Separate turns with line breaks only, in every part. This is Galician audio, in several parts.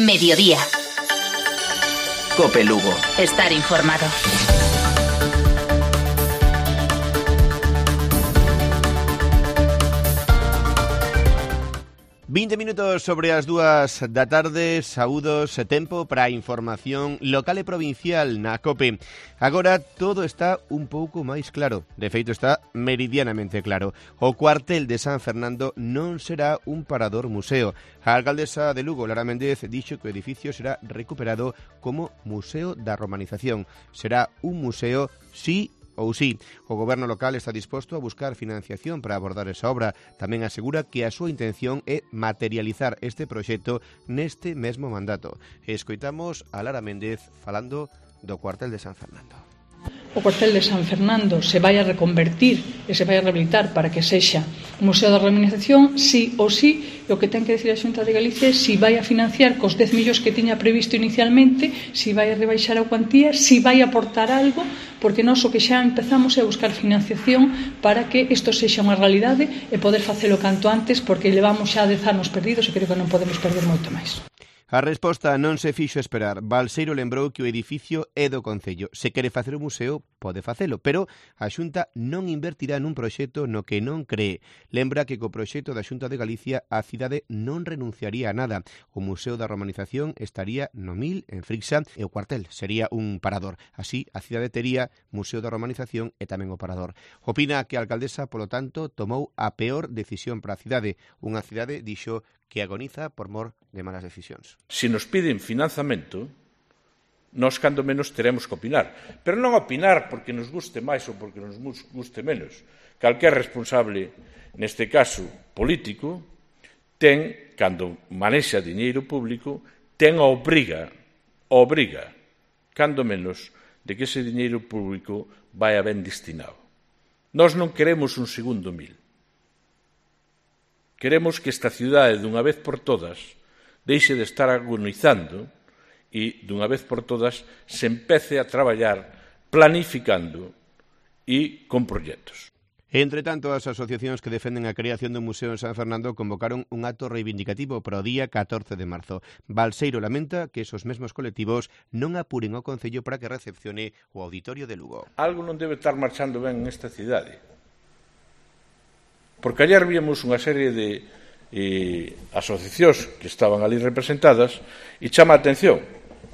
Mediodía.
Cope Lugo.
Estar informado.
...20 minutos sobre as 2 da tarde, saúdos e tempo para a información local e provincial na COPE. Agora todo está un pouco máis claro, de feito está meridianamente claro. O cuartel de San Fernando non será un parador museo. A alcaldesa de Lugo, Lara Méndez, dixo que o edificio será recuperado como Museo da Romanización. Será un museo, sí ou sí. O goberno local está disposto a buscar financiación para abordar esa obra. Tamén asegura que a súa intención é materializar este proxecto neste mesmo mandato. Escoitamos a Lara Méndez falando do cuartel de San Fernando.
O cuartel de San Fernando se vai a reconvertir e se vai a rehabilitar para que sexa un museo da romanización, sí ou sí, e o que ten que decir a Xunta de Galicia é si vai a financiar cos 10 millóns que tiña previsto inicialmente, si vai a rebaixar a cuantía, si vai a aportar algo, porque nós o que xa empezamos é a buscar financiación para que isto sexa unha realidade e poder facelo canto antes, porque levamos xa 10 anos perdidos e creo que non podemos perder moito máis.
A resposta non se fixo esperar. Balseiro lembrou que o edificio é do Concello. Se quere facer un museo, pode facelo, pero a Xunta non invertirá nun proxecto no que non cree. Lembra que co proxecto da Xunta de Galicia a cidade non renunciaría a nada. O Museo da Romanización estaría no Mil, en Frixa, e o cuartel sería un parador. Así, a cidade tería Museo da Romanización e tamén o parador. Opina que a alcaldesa, polo tanto, tomou a peor decisión para a cidade. Unha cidade, dixo, que agoniza por mor de malas decisións.
Se nos piden financiamento, nós cando menos teremos que opinar. Pero non opinar porque nos guste máis ou porque nos guste menos. Calquer responsable, neste caso político, ten, cando manexa diñeiro público, ten a obriga, cando menos, de que ese diñeiro público vai a ben destinado. Nós non queremos un segundo Mil. Queremos que esta cidade, dunha vez por todas, deixe de estar agonizando e, dunha vez por todas, se empece a traballar planificando e con proxectos.
Entre tanto, as asociacións que defenden a creación do Museo en San Fernando convocaron un acto reivindicativo para o día 14 de marzo. Balseiro lamenta que esos mesmos colectivos non apuren ao Concello para que recepcione o Auditorio de Lugo.
Algo non debe estar marchando ben nesta cidade. Porque ayer víamos unha serie de asociacións que estaban ali representadas e chama a atención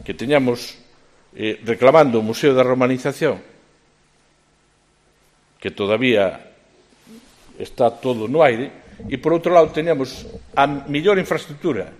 que teñamos reclamando o Museo da Romanización, que todavía está todo no aire, e por outro lado teñamos a mellor infraestructura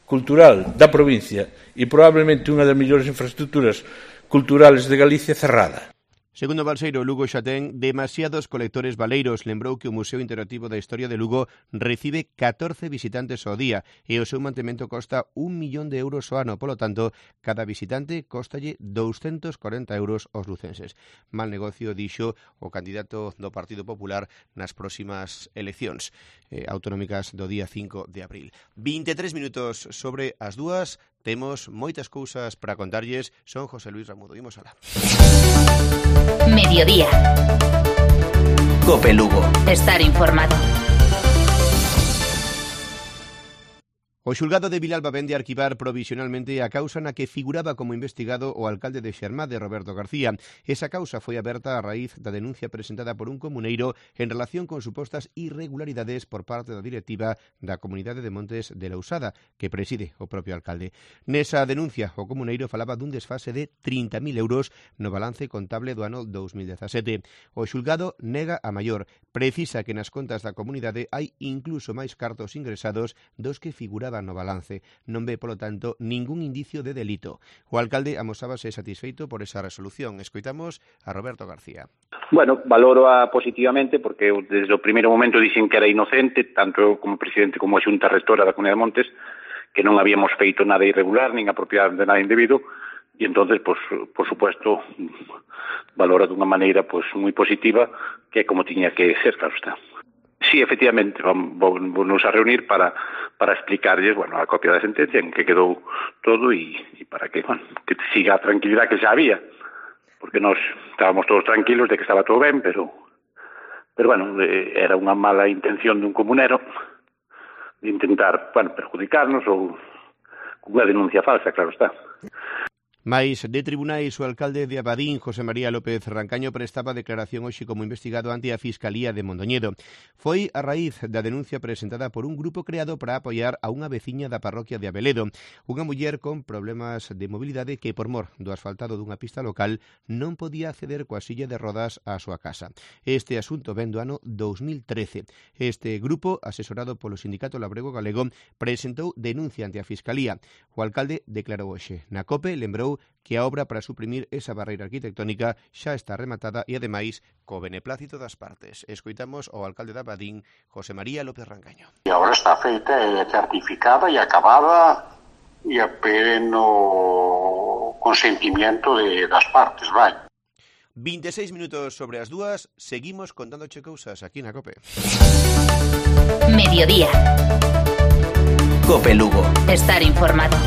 cultural da provincia e probablemente unha das mellores infraestructuras culturales de Galicia cerrada.
Segundo Balseiro, Lugo xa ten demasiados colectores baleiros. Lembrou que o Museo Interactivo da Historia de Lugo recibe 14 visitantes ao día e o seu mantemento costa 1 millón de euros ao ano. Polo tanto, cada visitante costalle 240 euros aos lucenses. Mal negocio, dixo o candidato do Partido Popular nas próximas eleccións autonómicas do día 5 de abril. 23 minutos sobre as 2. Temos moitas cousas para contarlles. Son José Luis Ramudo. Imos alá.
Mediodía.
Cope Lugo.
Estar informado.
O xulgado de Vilalba vende a arquivar provisionalmente a causa na que figuraba como investigado o alcalde de Xermade, Roberto García. Esa causa foi aberta a raíz da denuncia presentada por un comuneiro en relación con supostas irregularidades por parte da directiva da Comunidade de Montes de Lousada, que preside o propio alcalde. Nesa denuncia, o comuneiro falaba dun desfase de 30.000 euros no balance contable do ano 2017. O xulgado nega a maior, precisa que nas contas da comunidade hai incluso máis cartos ingresados dos que figuraban no balance. Non ve, polo tanto, ningún indicio de delito. O alcalde amosábase satisfeito por esa resolución. Escoitamos a Roberto García.
Bueno, valoro-a positivamente porque desde o primeiro momento dixen que era inocente, tanto eu como presidente como a Xunta Rectora da Comunidade de Montes, que non habíamos feito nada irregular, nin apropiado de nada indebido, e entonces, pues, por supuesto, valora dunha maneira pues, moi positiva, que é como tiña que ser, claro está. Sí, efectivamente, vamos a reunir para explicarlles, bueno, a copia da sentencia en que quedou todo e para que, bueno, que siga a tranquilidade que xa había, porque nós estábamos todos tranquilos de que estaba todo ben, pero bueno, era unha mala intención dun comunero de intentar, bueno, perjudicarnos ou cunha denuncia falsa, claro está.
Mais de tribunais, o alcalde de Abadín, José María López Rancaño, prestaba declaración hoxe como investigado ante a Fiscalía de Mondoñedo. Foi a raíz da denuncia presentada por un grupo creado para apoiar a unha veciña da parroquia de Abeledo, unha muller con problemas de mobilidade que, por mor do asfaltado dunha pista local, non podía acceder coa silla de rodas á súa casa. Este asunto ven do ano 2013. Este grupo, asesorado polo Sindicato Labrego Galego, presentou denuncia ante a Fiscalía. O alcalde declarou hoxe na COPE, lembrou que a obra para suprimir esa barreira arquitectónica xa está rematada e, ademais, co beneplácito das partes. Escoitamos ao alcalde de Abadín, José María López Rancaño.
A obra está feita, é certificada e acabada e a pleno consentimiento das partes, vai.
26 minutos sobre as 2, seguimos contándoche cousas aquí na COPE.
Mediodía.
COPE Lugo.
Estar informado.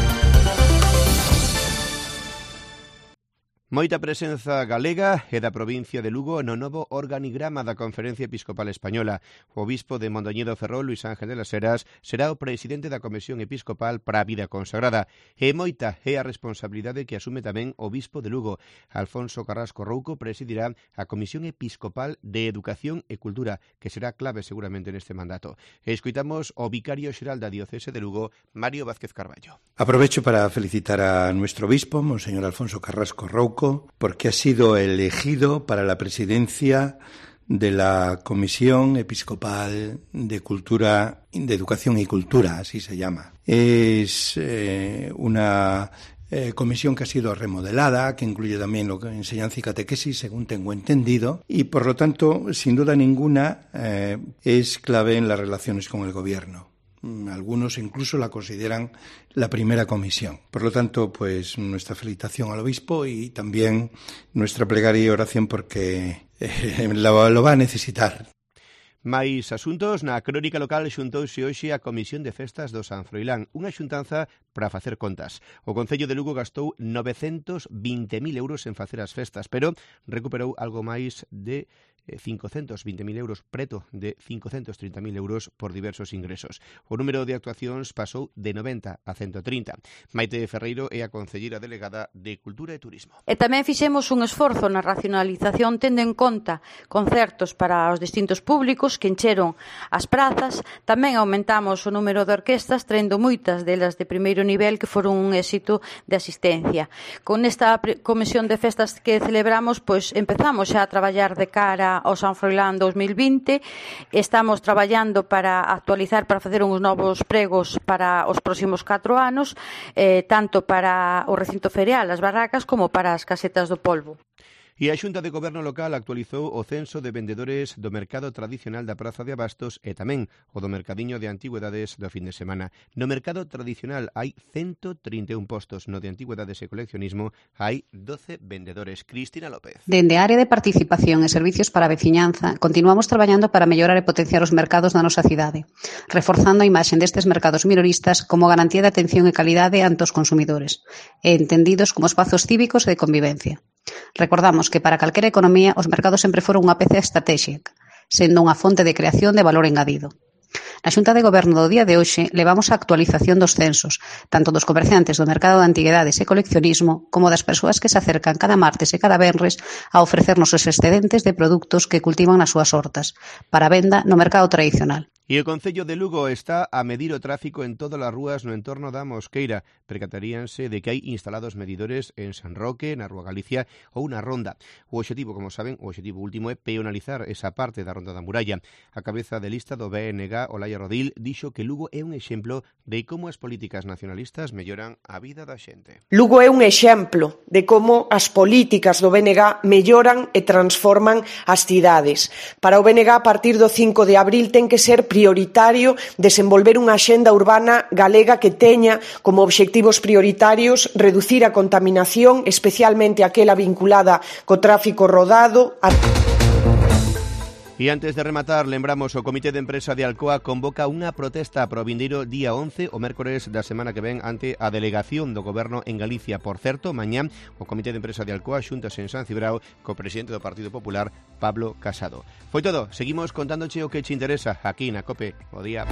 Moita presenza galega e da provincia de Lugo no novo organigrama da Conferencia Episcopal Española. O obispo de Mondoñedo Ferrol, Luis Ángel de las Heras, será o presidente da Comisión Episcopal para a Vida Consagrada. E moita é a responsabilidade que asume tamén o obispo de Lugo. Alfonso Carrasco Rouco presidirá a Comisión Episcopal de Educación e Cultura, que será clave seguramente neste mandato. Escoitamos o vicario xeral da Diocese de Lugo, Mario Vázquez Carballo.
Aprovecho para felicitar a nuestro obispo, Monseñor Alfonso Carrasco Rouco, porque ha sido elegido para la presidencia de la Comisión Episcopal de Cultura, de Educación y Cultura, así se llama. Es una comisión que ha sido remodelada, que incluye también lo que enseñanza y catequesis, según tengo entendido, y por lo tanto, sin duda ninguna, es clave en las relaciones con el gobierno. Algunos incluso la consideran la primera comisión. Por lo tanto, pues nuestra felicitación al obispo y también nuestra plegaria y oración porque lo va a necesitar.
Mais asuntos, na crónica local xuntouse hoxe a Comisión de Festas do San Froilán, unha xuntanza para facer contas. O Concello de Lugo gastou 920.000 euros en facer as festas, pero recuperou algo máis de 520.000 euros, preto de 530.000 euros por diversos ingresos. O número de actuacións pasou de 90 a 130. Maite Ferreiro é a concelleira delegada de Cultura e Turismo.
E tamén fixemos un esforzo na racionalización tendo en conta concertos para os distintos públicos que encheron as prazas. Tamén aumentamos o número de orquestas, trendo moitas delas de primeiro nivel que foron un éxito de asistencia. Con esta comisión de festas que celebramos, pois empezamos xa a traballar de cara ao San Froilán 2020. Estamos traballando para actualizar, para facer uns novos pregos para os próximos 4 anos, tanto para o recinto ferial, as barracas, como para as casetas do polvo.
E a Xunta de Goberno Local actualizou o censo de vendedores do mercado tradicional da Praza de Abastos e tamén o do mercadiño de antigüedades do fin de semana. No mercado tradicional hai 131 postos, no de antigüedades e coleccionismo hai 12 vendedores. Cristina López.
Dende a área de participación e servicios para a veciñanza, continuamos traballando para mellorar e potenciar os mercados da nosa cidade, reforzando a imaxe destes mercados minoristas como garantía de atención e calidade ante os consumidores, e entendidos como espazos cívicos e de convivencia. Recordamos que para calquera economía os mercados sempre foron unha peza estratégica, sendo unha fonte de creación de valor engadido. Na Xunta de Goberno do día de hoxe levamos a actualización dos censos, tanto dos comerciantes do mercado de antigüedades e coleccionismo como das persoas que se acercan cada martes e cada venres a ofrecernos os excedentes de produtos que cultivan nas súas hortas, para venda no mercado tradicional.
E o Concello de Lugo está a medir o tráfico en todas as rúas no entorno da Mosqueira. Percataríanse de que hai instalados medidores en San Roque, na Rúa Galicia ou na Ronda. O obxectivo, como saben, o obxectivo último é peonalizar esa parte da Ronda da Muralla. A cabeza de lista do BNG, Olaya Rodil, dixo que Lugo é un exemplo de como as políticas nacionalistas melloran a vida da xente.
Lugo é un exemplo de como as políticas do BNG melloran e transforman as cidades. Para o BNG, a partir do 5 de abril, ten que ser prioritario desenvolver unha axenda urbana galega que teña como obxectivos prioritarios reducir a contaminación, especialmente aquela vinculada co tráfico rodado.
E antes de rematar, lembramos o Comité de Empresa de Alcoa convoca unha protesta para o vindeiro día 11, o mércores da semana que ven, ante a delegación do Goberno en Galicia. Por certo, mañá o Comité de Empresa de Alcoa xúntase en San Cibrao co presidente do Partido Popular, Pablo Casado. Foi todo, seguimos contándoche o que che interesa aquí na COPE. Bo día.